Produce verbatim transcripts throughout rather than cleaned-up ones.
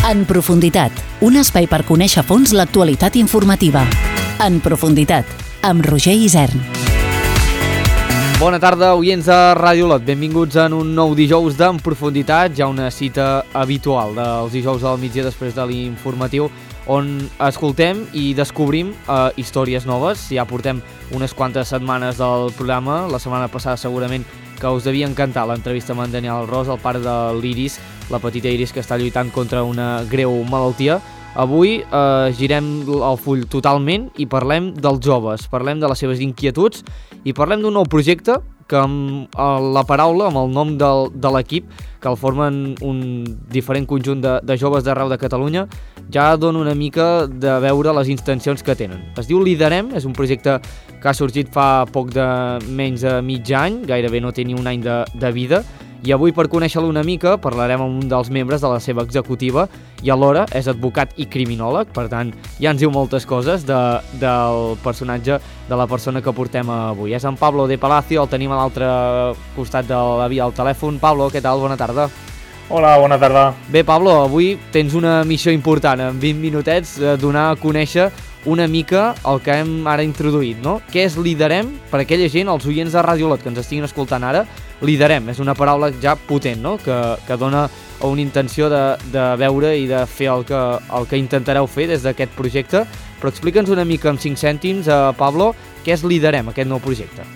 En profunditat, un espai per conèixer a fons l'actualitat informativa. En profunditat, amb Roger Isern. Bona tarda, oients de Ràdio Olot. Benvinguts en un nou dijous d'En Profunditat, ja una cita habitual dels dijous al migdia després de l'informatiu, on escoltem i descobrim eh, històries noves. Ja portem unes quantes setmanes del programa. La setmana passada segurament que us devia encantar l'entrevista amb en Daniel Ros, el pare de l'Iris, la petita Iris que està lluitant contra una greu malaltia. Avui eh, girem el full totalment i parlem dels joves, parlem de les seves inquietuds i parlem d'un nou projecte que amb la paraula, amb el nom del, de l'equip, que el formen un diferent conjunt de, de joves d'arreu de Catalunya, ja dona una mica de veure les intencions que tenen. Es diu Liderem, és un projecte que ha sorgit fa poc de menys de mig any, gairebé no té ni un any de, de vida, i avui, per conèixer-lo una mica, parlarem amb un dels membres de la seva executiva i alhora és advocat i criminòleg, per tant, ja ens diu moltes coses de, del personatge, de la persona que portem avui. És en Pablo de Palacio, el tenim a l'altre costat de la via al telèfon. Pablo, què tal? Bona tarda. Hola, bona tarda. Bé, Pablo, avui tens una missió important, en vint minutets, eh, donar a conèixer una mica el que hem ara introduït, no? Què és Liderem? Per aquella gent, els oients de Ràdio Olot que ens estiguin escoltant ara, Liderem és una paraula ja potent, no? Que, que dona una intenció de, de veure i de fer el que, el que intentareu fer des d'aquest projecte. Però explica'ns una mica amb cinc cèntims, eh, Pablo, què és Liderem, aquest nou projecte?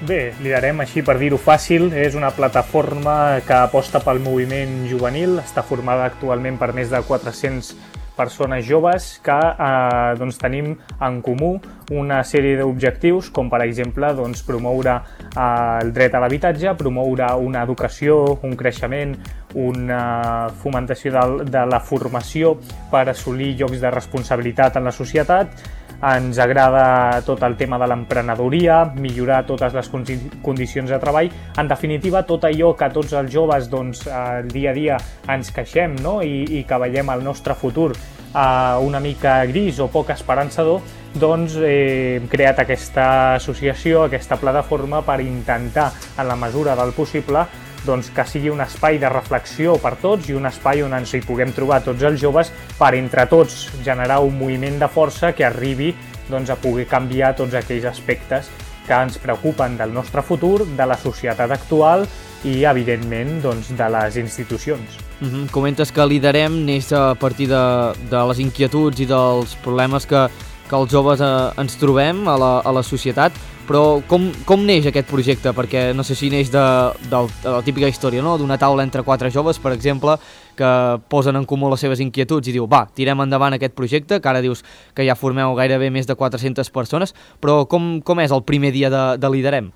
Bé, Liderem, així per dir-ho fàcil, és una plataforma que aposta pel moviment juvenil, està formada actualment per més de quatre-cents persones joves que eh, doncs, tenim en comú una sèrie d'objectius, com per exemple doncs, promoure eh, el dret a l'habitatge, promoure una educació, un creixement, una fomentació de, de la formació per assolir llocs de responsabilitat en la societat. Ens agrada tot el tema de l'emprenedoria, millorar totes les condicions de treball, en definitiva tot allò que tots els joves doncs, el dia a dia ens queixem, no? I, i que veiem el nostre futur eh, una mica gris o poc esperançador, doncs eh, hem creat aquesta associació, aquesta plataforma per intentar, en la mesura del possible, doncs, que sigui un espai de reflexió per tots i un espai on ens hi puguem trobar tots els joves per entre tots generar un moviment de força que arribi doncs, a poder canviar tots aquells aspectes que ens preocupen del nostre futur, de la societat actual i, evidentment, doncs, de les institucions. Mm-hmm. Comentes que Liderem neix a partir de, de les inquietuds i dels problemes que, que els joves eh, ens trobem a la, a la societat. Però com, com neix aquest projecte? Perquè no sé si neix de, de, de la típica història, no? D'una taula entre quatre joves, per exemple, que posen en comú les seves inquietuds i diu, va, tirem endavant aquest projecte, que ara dius que ja formeu gairebé més de quatre-centes persones, però com, com és el primer dia de, de Liderem?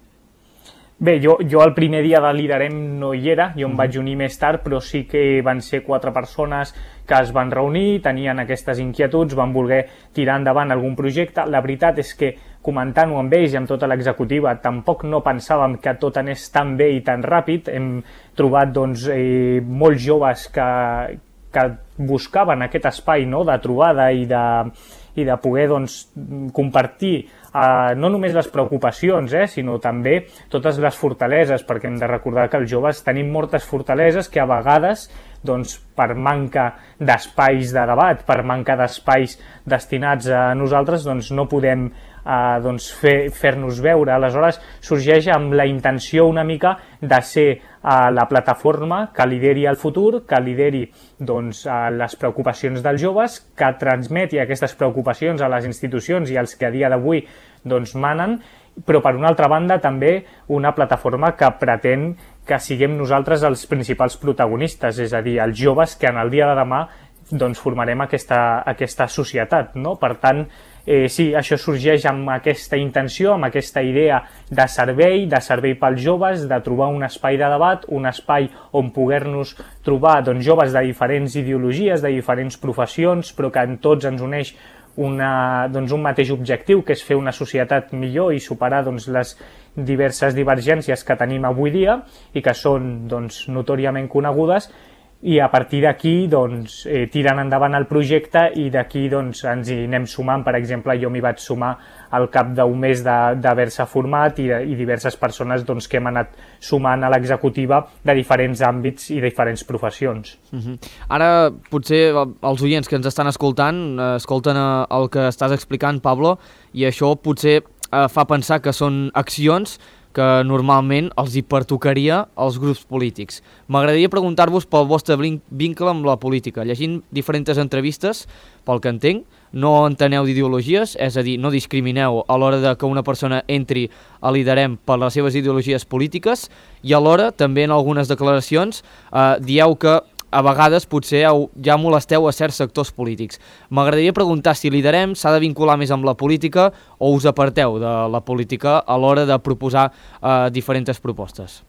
Bé, jo, jo el primer dia de Liderem no hi era, jo em vaig unir més tard, però sí que van ser quatre persones que es van reunir, tenien aquestes inquietuds, van voler tirar endavant algun projecte. La veritat és que, comentant-ho amb ells i amb tota l'executiva, tampoc no pensàvem que tot anés tan bé i tan ràpid. Hem trobat doncs, eh, molts joves que, que buscaven aquest espai, no?, de trobada i de, i de poder doncs, compartir Uh, no només les preocupacions, eh, sinó també totes les fortaleses, perquè hem de recordar que els joves tenim moltes fortaleses que a vegades, doncs, per manca d'espais de debat, per manca d'espais destinats a nosaltres, doncs, no podem uh, doncs, fer, fer-nos veure. Aleshores, sorgeix amb la intenció una mica de ser uh, la plataforma que lideri el futur, que lideri doncs, uh, les preocupacions dels joves, que transmeti aquestes preocupacions a les institucions i als que a dia d'avui doncs manen, però per una altra banda també una plataforma que pretén que siguem nosaltres els principals protagonistes, és a dir, els joves que en el dia de demà doncs, formarem aquesta, aquesta societat, no? Per tant, eh, sí, això sorgeix amb aquesta intenció, amb aquesta idea de servei, de servei pels joves, de trobar un espai de debat, un espai on poder-nos trobar doncs, joves de diferents ideologies, de diferents professions, però que en tots ens uneix Una, doncs un mateix objectiu, que és fer una societat millor i superar doncs, les diverses divergències que tenim avui dia i que són doncs, notòriament conegudes, i a partir d'aquí doncs, eh, tiren endavant el projecte i d'aquí doncs, ens hi anem sumant. Per exemple, jo m'hi vaig sumar al cap d'un mes d'haver-se format i, i diverses persones doncs, que hem anat sumant a l'executiva de diferents àmbits i diferents professions. Uh-huh. Ara, potser els oients que ens estan escoltant eh, escolten el que estàs explicant, Pablo, i això potser eh, fa pensar que són accions que normalment els hi pertocaria als grups polítics. M'agradaria preguntar-vos pel vostre vincle amb la política. Llegint diferents entrevistes, pel que entenc, no enteneu d'ideologies, és a dir, no discrimineu a l'hora de que una persona entri a Liderem per les seves ideologies polítiques, i alhora també en algunes declaracions eh, dieu que a vegades potser ja molesteu a certs sectors polítics. M'agradaria preguntar si Liderem s'ha de vincular més amb la política o us aparteu de la política a l'hora de proposar eh, diferents propostes.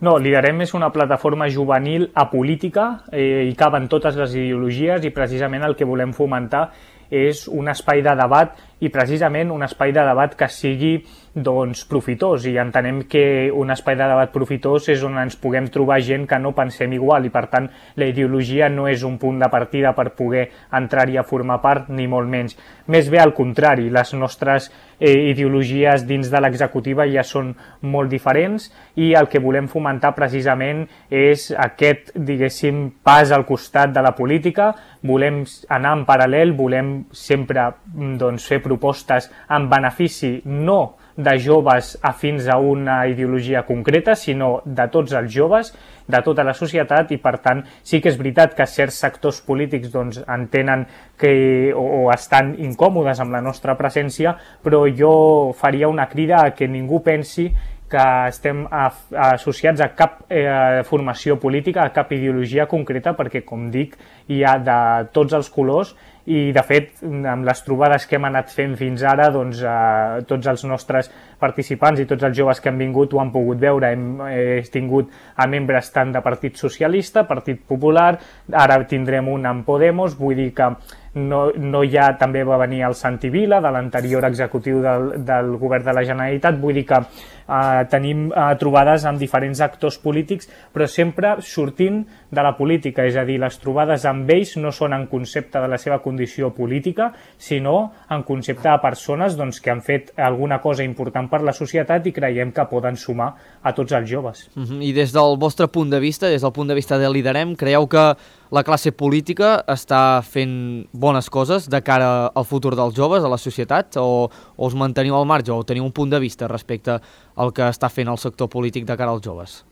No, Liderem és una plataforma juvenil apolítica, eh, hi caben totes les ideologies i precisament el que volem fomentar és un espai de debat i precisament un espai de debat que sigui doncs, profitós, i entenem que un espai de debat profitós és on ens puguem trobar gent que no pensem igual i per tant la ideologia no és un punt de partida per poder entrar-hi a formar part, ni molt menys. Més bé al contrari, les nostres eh, ideologies dins de l'executiva ja són molt diferents i el que volem fomentar precisament és aquest, diguéssim, pas al costat de la política. Volem anar en paral·lel, volem sempre doncs, fer propostes en benefici no de joves afins a una ideologia concreta, sinó de tots els joves, de tota la societat, i per tant sí que és veritat que certs sectors polítics doncs, entenen que, o, o estan incòmodes amb la nostra presència, però jo faria una crida a que ningú pensi que estem associats a cap eh, formació política, a cap ideologia concreta, perquè, com dic, hi ha de tots els colors i, de fet, amb les trobades que hem anat fent fins ara, doncs, eh, tots els nostres participants i tots els joves que han vingut ho han pogut veure. Hem eh, tingut a membres tant de Partit Socialista, Partit Popular, ara tindrem un en Podemos, vull dir que no, no hi ha, també va venir el Santi Vila, de l'anterior executiu del, del govern de la Generalitat, vull dir que eh, tenim eh, trobades amb diferents actors polítics, però sempre sortint de la política, és a dir, les trobades amb ells no són en concepte de la seva condició política, sinó en concepte de persones doncs, que han fet alguna cosa important per la societat i creiem que poden sumar a tots els joves. Uh-huh. I des del vostre punt de vista, des del punt de vista de Liderem, creieu que la classe política està fent bones coses de cara al futur dels joves, a la societat, o, o us manteniu al marge, o teniu un punt de vista respecte al que està fent el sector polític de cara als joves?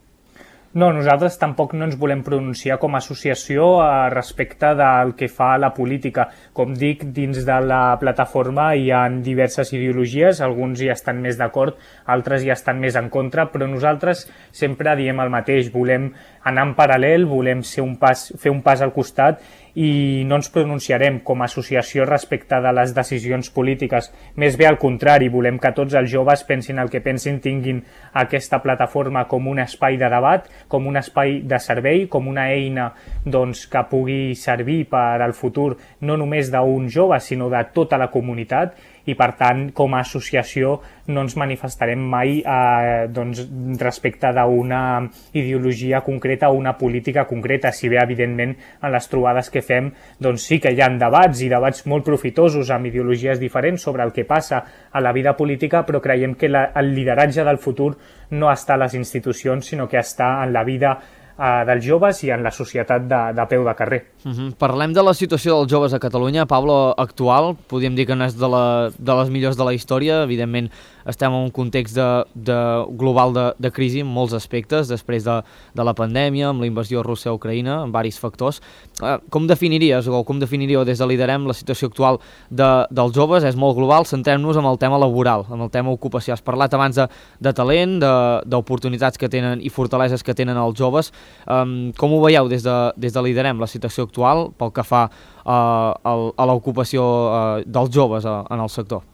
No, nosaltres tampoc no ens volem pronunciar com a associació eh, respecte del que fa la política. Com dic, dins de la plataforma hi ha diverses ideologies, alguns hi estan més d'acord, altres hi estan més en contra, però nosaltres sempre diem el mateix, volem anar en paral·lel, volem ser un pas, fer un pas al costat i no ens pronunciarem com a associació respecte de les decisions polítiques. Més bé al contrari, volem que tots els joves pensin el que pensin, tinguin aquesta plataforma com un espai de debat, com un espai de servei, com una eina doncs, que pugui servir per al futur no només d'un jove, sinó de tota la comunitat, i per tant com a associació no ens manifestarem mai eh, doncs, respecte d'una ideologia concreta o una política concreta, si bé evidentment en les trobades que fem doncs sí que hi ha debats i debats molt profitosos amb ideologies diferents sobre el que passa a la vida política, però creiem que la, el lideratge del futur no està a les institucions, sinó que està en la vida eh, dels joves i en la societat de, de peu de carrer. Uh-huh. Parlem de la situació dels joves a Catalunya, Pablo, actual. Podríem dir que no és de, la, de les millors de la història. Evidentment estem en un context de, de global de, de crisi en molts aspectes, després de, de la pandèmia, amb la invasió russa a Ucraïna, amb diversos factors. Uh, com definiries o com definiríeu des de Liderem la situació actual de, dels joves? És molt global, centrem-nos en el tema laboral, en el tema ocupació. Has parlat abans de, de talent, d'oportunitats que tenen i fortaleses que tenen els joves. Um, com ho veieu des de, des de Liderem, la situació actual pel que fa uh, a l'ocupació uh, dels joves uh, en el sector?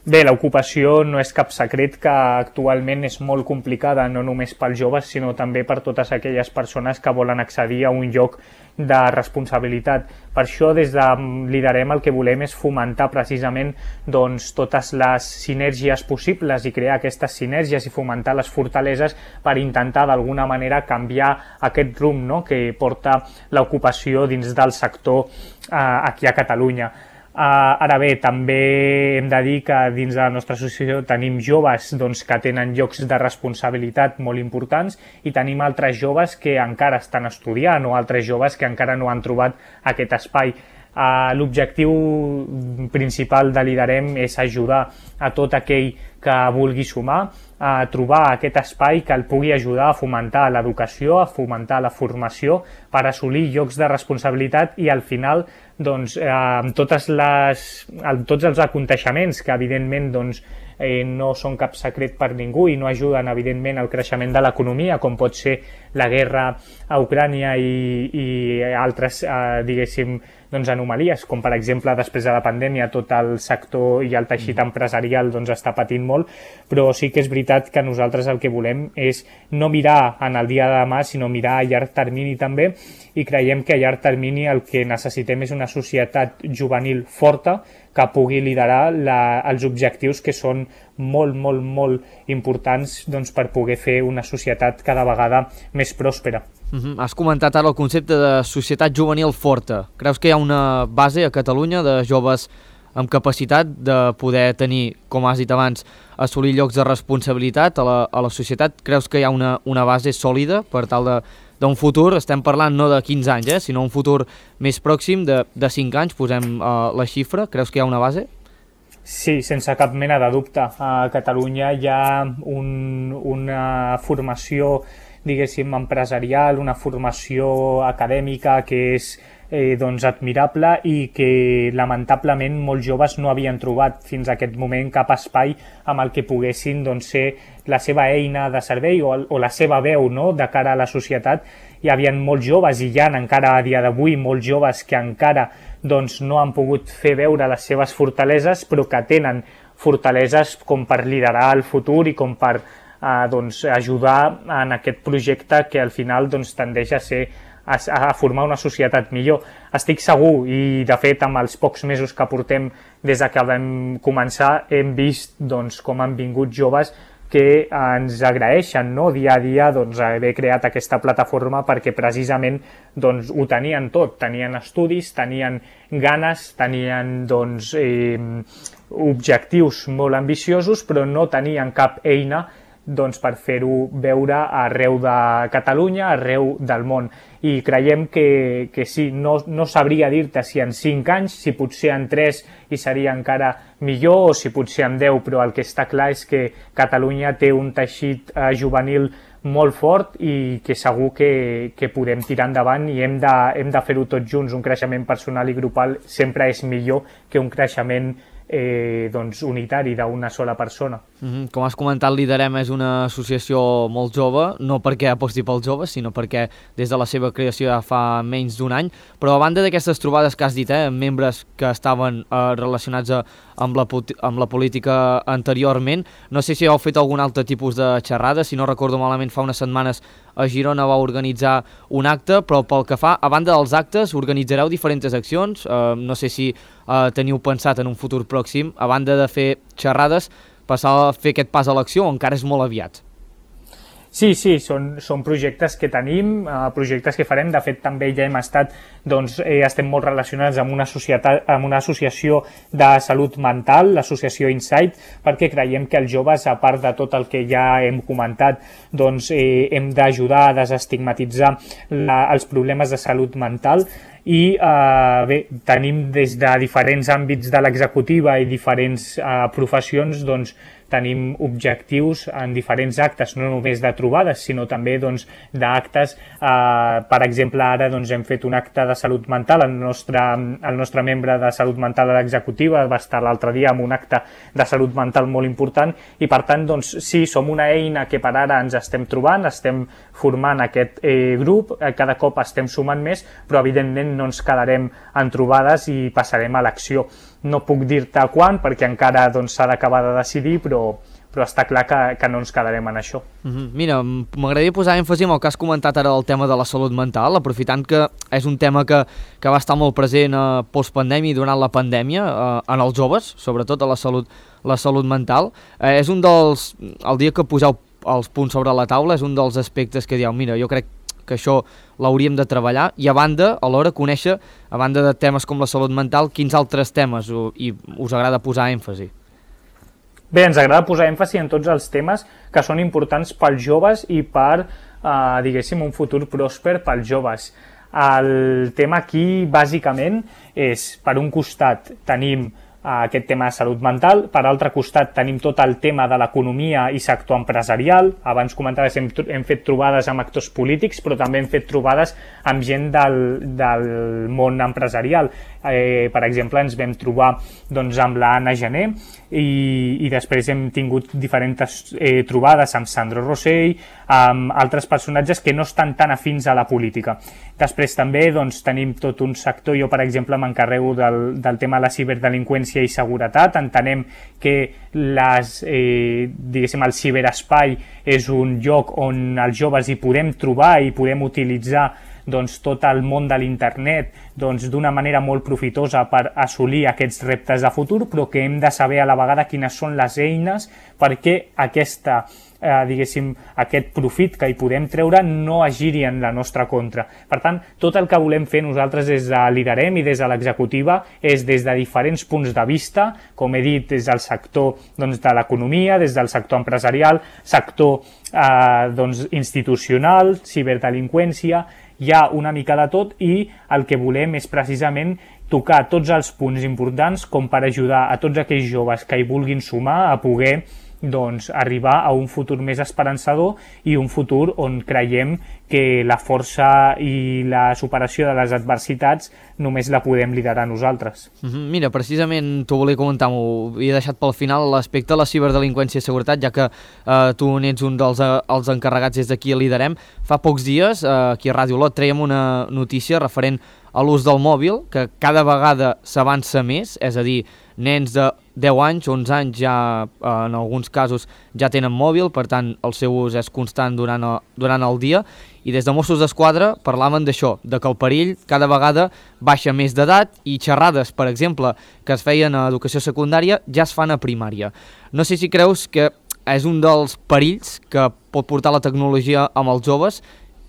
Bé, l'ocupació no és cap secret que actualment és molt complicada, no només pels joves, sinó també per totes aquelles persones que volen accedir a un lloc de responsabilitat. Per això, des de Liderem, el que volem és fomentar precisament doncs, totes les sinergies possibles i crear aquestes sinergies i fomentar les fortaleses per intentar d'alguna manera canviar aquest rumb, no?, que porta l'ocupació dins del sector eh, aquí a Catalunya. Uh, ara bé, també hem de dir que dins de la nostra associació tenim joves doncs, que tenen llocs de responsabilitat molt importants i tenim altres joves que encara estan estudiant o altres joves que encara no han trobat aquest espai. Uh, L'objectiu principal de Liderem és ajudar a tot aquell que vulgui sumar a trobar aquest espai que el pugui ajudar a fomentar l'educació, a fomentar la formació per assolir llocs de responsabilitat i al final doncs, eh, amb totes les, amb tots els aconteixements que evidentment doncs, eh, no són cap secret per ningú i no ajuden evidentment al creixement de l'economia, com pot ser la guerra a Ucrània i, i altres eh, diguéssim doncs, anomalies, com per exemple després de la pandèmia tot el sector i el teixit empresarial doncs, està patint molt, però sí que és veritat que nosaltres el que volem és no mirar en el dia de demà, sinó mirar a llarg termini també, i creiem que a llarg termini el que necessitem és una societat juvenil forta que pugui liderar la, els objectius que són molt, molt, molt importants doncs, per poder fer una societat cada vegada més pròspera. Uh-huh. Has comentat ara el concepte de societat juvenil forta. Creus que hi ha una base a Catalunya de joves amb capacitat de poder tenir, com has dit abans, assolir llocs de responsabilitat a la, a la societat? Creus que hi ha una, una base sòlida per tal de d'un futur, estem parlant no de quinze anys, eh, sinó un futur més pròxim de, de cinc anys, posem uh, la xifra, creus que hi ha una base? Sí, sense cap mena de dubte. A Catalunya hi ha un, una formació, diguéssim, empresarial, una formació acadèmica que és eh, doncs, admirable i que lamentablement molts joves no havien trobat fins a aquest moment cap espai amb el que poguessin doncs, ser la seva eina de servei o, o la seva veu, no?, de cara a la societat. Hi havia molts joves i hi ha encara a dia d'avui molts joves que encara doncs, no han pogut fer veure les seves fortaleses, però que tenen fortaleses com per liderar el futur i com per eh, doncs, ajudar en aquest projecte que al final doncs, tendeix a ser a, a formar una societat millor. Estic segur, i de fet amb els pocs mesos que portem des que vam començar hem vist doncs, com han vingut joves que ens agraeixen, no?, dia a dia doncs, haver creat aquesta plataforma perquè precisament doncs, ho tenien tot, tenien estudis, tenien ganes, tenien doncs, eh, objectius molt ambiciosos, però no tenien cap eina doncs, per fer-ho veure arreu de Catalunya, arreu del món. I creiem que, que sí, no, no sabria dir-te si en cinc anys, si potser en tres hi seria encara millor o si potser en deu, però el que està clar és que Catalunya té un teixit eh, juvenil molt fort i que segur que, que podem tirar endavant i hem de, hem de fer-ho tots junts. Un creixement personal i grupal sempre és millor que un creixement Eh, doncs, unitari d'una sola persona. Mm-hmm. Com has comentat, Liderem és una associació molt jove, no perquè aposti pels joves, sinó perquè des de la seva creació ja fa menys d'un any, però a banda d'aquestes trobades que has dit, eh, membres que estaven eh, relacionats a, amb, la, amb la política anteriorment, no sé si heu fet algun altre tipus de xerrada, si no recordo malament fa unes setmanes a Girona va organitzar un acte, però pel que fa, a banda dels actes, organitzareu diferents accions, eh, no sé si eh, teniu pensat en un futur pròxim, a banda de fer xerrades, passar a fer aquest pas a l'acció o encara és molt aviat? Sí, sí, són, són projectes que tenim, eh, projectes que farem. De fet, també ja hem estat, doncs, eh, estem molt relacionats amb una, societat, amb una associació de salut mental, l'associació Insight, perquè creiem que els joves, a part de tot el que ja hem comentat, doncs, eh, hem d'ajudar a desestigmatitzar la, els problemes de salut mental. I eh, bé, tenim des de diferents àmbits de l'executiva i diferents eh, professions, doncs, tenim objectius en diferents actes, no només de trobades, sinó també doncs, d'actes. Eh, per exemple, ara doncs, hem fet un acte de salut mental, el nostre, el nostre membre de salut mental a l'executiva va estar l'altre dia amb un acte de salut mental molt important i per tant, doncs, sí, som una eina que per ara ens estem trobant, estem formant aquest eh, grup, eh, cada cop estem sumant més, però evidentment no ens quedarem en trobades i passarem a l'acció. no puc dir-te quan perquè encara doncs, s'ha d'acabar de decidir, però però està clar que, que no ens quedarem en això. Mm-hmm. Mira, m'agradaria posar èmfasi en el que has comentat ara, el tema de la salut mental, aprofitant que és un tema que, que va estar molt present a postpandèmia i durant la pandèmia, eh, en els joves, sobretot a la salut, la salut mental. Eh, és un dels, el dia que poseu els punts sobre la taula, és un dels aspectes que dieu, mira, jo crec que això l'hauríem de treballar, i a banda, alhora, conèixer, a banda de temes com la salut mental, quins altres temes u, i us agrada posar èmfasi? Bé, ens agrada posar èmfasi en tots els temes que són importants pels joves i per, eh, diguéssim, un futur pròsper pels joves. El tema aquí, bàsicament, és, per un costat, tenim aquest tema de salut mental, per altre costat tenim tot el tema de l'economia i sector empresarial. Abans comentaves, hem, hem fet trobades amb actors polítics, però també hem fet trobades amb gent del, del món empresarial. Eh, per exemple, ens vam trobar doncs, amb l'Anna Gené i, i després hem tingut diferents eh, trobades amb Sandro Rosell, amb altres personatges que no estan tan afins a la política. Després també doncs, tenim tot un sector, jo per exemple m'encarrego del, del tema de la ciberdelinqüència i seguretat. Entenem que les, eh, diguéssim, el ciberespai és un lloc on els joves hi podem trobar i podem utilitzar doncs, tot el món de l'internet doncs, d'una manera molt profitosa per assolir aquests reptes de futur, però que hem de saber a la vegada quines són les eines perquè aquesta, eh, diguéssim, aquest profit que hi podem treure no es giri en la nostra contra. Per tant, tot el que volem fer nosaltres des de Liderem i des de l'executiva és des de diferents punts de vista, com he dit, des del sector doncs, de l'economia, des del sector empresarial, sector eh, doncs, institucional, ciberdelinqüència. Hi ha una mica de tot i el que volem és precisament tocar tots els punts importants com per ajudar a tots aquells joves que hi vulguin sumar a poder doncs, arribar a un futur més esperançador i un futur on creiem que la força i la superació de les adversitats només la podem liderar nosaltres. Mm-hmm. Mira, precisament t'ho volia comentar, m'ho havia deixat pel final, l'aspecte de la ciberdelinqüència i seguretat, ja que eh, tu n'ets un dels eh, els encarregats des d'aquí a Liderem. Fa pocs dies, eh, aquí a Ràdio Olot, traiem una notícia referent a l'ús del mòbil, que cada vegada s'avança més, és a dir, nens de deu anys, onze anys ja, en alguns casos, ja tenen mòbil, per tant, el seu ús és constant durant el, durant el dia, i des de Mossos d'Esquadra parlaven d'això, de que el perill cada vegada baixa més d'edat i xerrades, per exemple, que es feien a educació secundària, ja es fan a primària. No sé si creus que és un dels perills que pot portar la tecnologia amb els joves,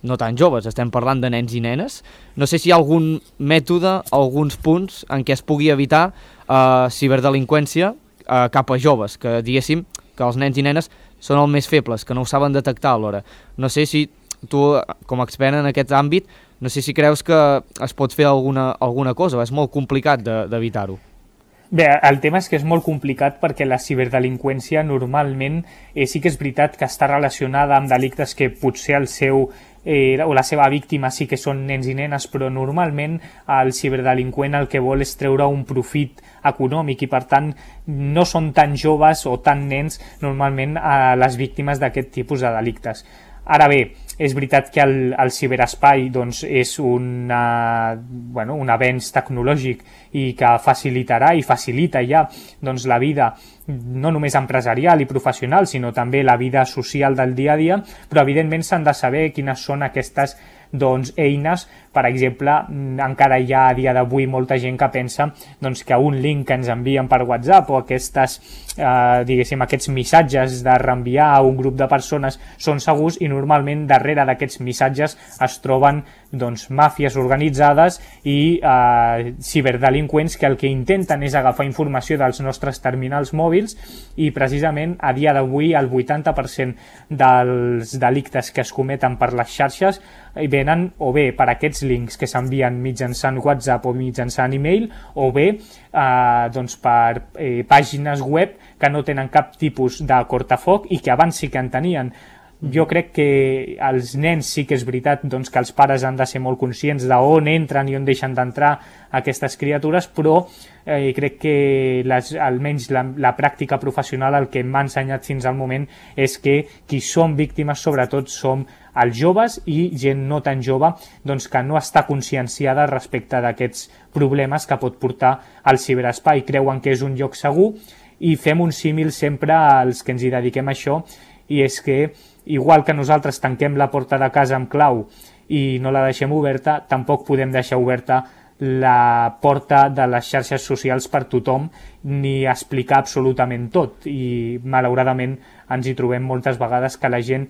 no tan joves, estem parlant de nens i nenes. No sé si hi ha algun mètode, alguns punts en què es pugui evitar eh, ciberdelinqüència eh, cap a joves, que diguéssim que els nens i nenes són els més febles, que no ho saben detectar alhora. No sé si tu, com a expert en aquest àmbit, no sé si creus que es pot fer alguna, alguna cosa, és molt complicat d'evitar-ho. Bé, el tema és que és molt complicat perquè la ciberdelinqüència normalment eh, sí que és veritat que està relacionada amb delictes que potser el seu eh, o la seva víctima sí que són nens i nenes, però normalment el ciberdelinqüent el que vol és treure un profit econòmic i per tant no són tan joves o tan nens normalment eh, les víctimes d'aquest tipus de delictes. Ara bé, és veritat que el, el ciberespai doncs, és una, bueno, un avenç tecnològic i que facilitarà i facilita ja doncs, la vida no només empresarial i professional, sinó també la vida social del dia a dia, però evidentment s'han de saber quines són aquestes doncs, eines. Per exemple, encara hi ha a dia d'avui molta gent que pensa doncs, que un link que ens envien per WhatsApp o aquestes, eh, diguéssim, aquests missatges de reenviar a un grup de persones són segurs i normalment darrere d'aquests missatges es troben doncs, màfies organitzades i eh, ciberdelinqüents que el que intenten és agafar informació dels nostres terminals mòbils i precisament a dia d'avui el vuitanta per cent dels delictes que es cometen per les xarxes venen o bé per aquests links que s'envien mitjançant WhatsApp o mitjançant e-mail o bé eh, doncs per eh, pàgines web que no tenen cap tipus de cortafoc i que abans sí que en tenien. Jo crec que els nens sí que és veritat doncs, que els pares han de ser molt conscients d'on entren i on deixen d'entrar aquestes criatures, però eh, crec que les, almenys la, la pràctica professional el que m'ha ensenyat fins al moment és que qui som víctimes sobretot som els joves i gent no tan jove doncs, que no està conscienciada respecte d'aquests problemes que pot portar al ciberespai. Creuen que és un lloc segur i fem un símil sempre als que ens hi dediquem a això, i és que igual que nosaltres tanquem la porta de casa amb clau i no la deixem oberta, tampoc podem deixar oberta la porta de les xarxes socials per tothom ni explicar absolutament tot, i malauradament ens hi trobem moltes vegades que la gent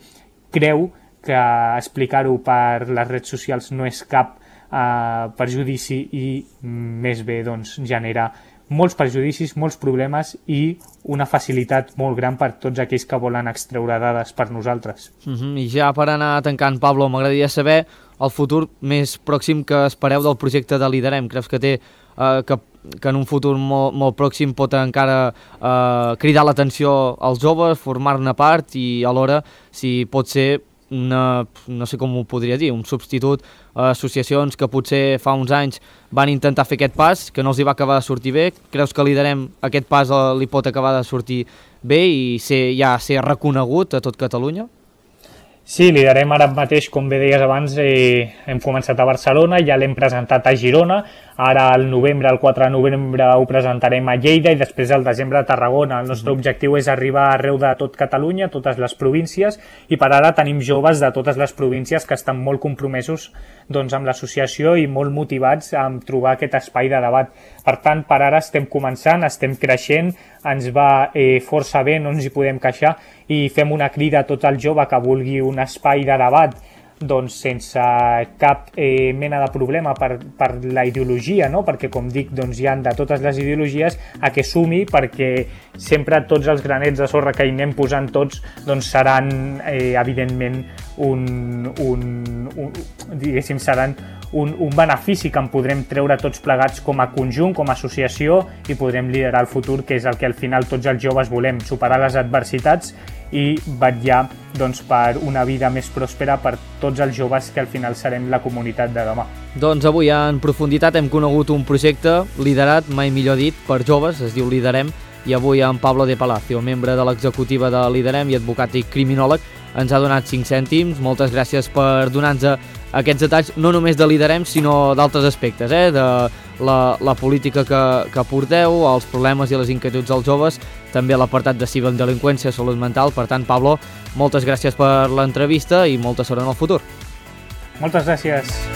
creu que explicar-ho per les redes socials no és cap eh, perjudici i més bé doncs, genera molts perjudicis, molts problemes i una facilitat molt gran per tots aquells que volen extreure dades per nosaltres. Uh-huh. I ja per anar tancant, Pablo, m'agradaria saber el futur més pròxim que espereu del projecte de Liderem. Creus que té eh, que, que en un futur molt, molt pròxim pot encara eh, cridar l'atenció als joves, formar-ne part i alhora si pot ser una, no sé com ho podria dir, un substitut a associacions que potser fa uns anys van intentar fer aquest pas, que no els hi va acabar de sortir bé? Creus que Liderem aquest pas li pot acabar de sortir bé i ser, ja ser reconegut a tot Catalunya? Sí, Liderem ara mateix, com bé deies abans, eh, hem començat a Barcelona, ja l'hem presentat a Girona, ara al novembre, el quatre de novembre ho presentarem a Lleida i després al desembre a Tarragona. El nostre objectiu és arribar arreu de tot Catalunya, totes les províncies, i per ara tenim joves de totes les províncies que estan molt compromesos doncs, amb l'associació i molt motivats a trobar aquest espai de debat. Per tant, per ara estem començant, estem creixent, ens va eh, força bé, no ens hi podem queixar, i fem una crida a tot el jove que vulgui un espai de debat doncs sense cap eh, mena de problema per, per la ideologia, no? Perquè com dic, doncs hi ha de totes les ideologies a què sumi, perquè sempre tots els granets de sorra que hi anem posant tots doncs seran eh, evidentment un, un, un, diguéssim, seran un, un benefici que en podrem treure tots plegats com a conjunt, com a associació, i podrem liderar el futur, que és el que al final tots els joves volem, superar les adversitats i vetllar doncs, per una vida més pròspera per tots els joves que al final serem la comunitat de demà. Doncs avui en profunditat hem conegut un projecte liderat, mai millor dit, per joves, es diu Liderem, i avui en Pablo de Palacio, membre de l'executiva de Liderem i advocat i criminòleg, ens ha donat cinc cèntims. Moltes gràcies per donar-nos aquests detalls, no només de Liderem, sinó d'altres aspectes, eh? de la, la política que, que porteu, els problemes i les inquietuds dels joves, també l'apartat de ciberdelinqüència, salut mental. Per tant, Pablo, moltes gràcies per l'entrevista i molta sort en el futur. Moltes gràcies.